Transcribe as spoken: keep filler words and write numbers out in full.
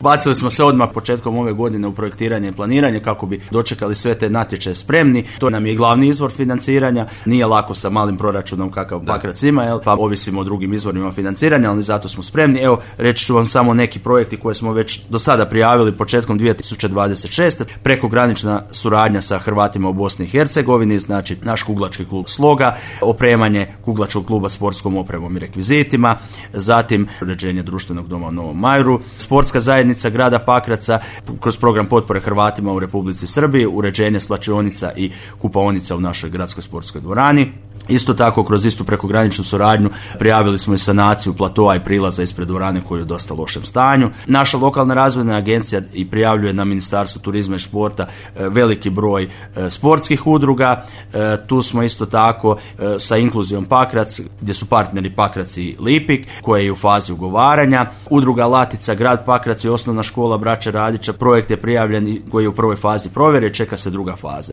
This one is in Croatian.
Bacili smo se odmah početkom ove godine u projektiranje i planiranje kako bi dočekali sve te natječaje spremni. To nam je glavni izvor financiranja. Nije lako sa malim proračunom kakav Pakrac ima, jel? Pa ovisimo o drugim izvorima financiranja, ali zato smo spremni. Evo, reći ću vam samo neki projekti koje smo već do sada prijavili početkom dvije tisuće dvadeset šeste. Prekogranična suradnja sa Hrvatima u Bosni i Hercegovini, znači naš kuglački klub Sloga, opremanje kuglačkog kluba sportskom opremom i rekvizitima, zatim uređenje društvenog doma u Novom Majru, sportska zajednica grada Pakraca kroz program potpore Hrvatima u Republici Srbiji, uređenje svlačionica i kupaonica u našoj gradskoj sportskoj dvorani. Isto tako, kroz istu prekograničnu suradnju prijavili smo i sanaciju platoa i prilaza ispred dvorane koji je u dosta lošem stanju. Naša lokalna razvojna agencija i prijavljuje na Ministarstvo turizma i športa veliki broj sportskih udruga. Tu smo isto tako sa Inkluzijom Pakrac, gdje su partneri Pakrac i Lipik, koje je u fazi ugovaranja. Udruga Latica, grad Pakrac i osnovna škola Braće Radića, projekt je prijavljen koji je u prvoj fazi provjere, čeka se druga faza.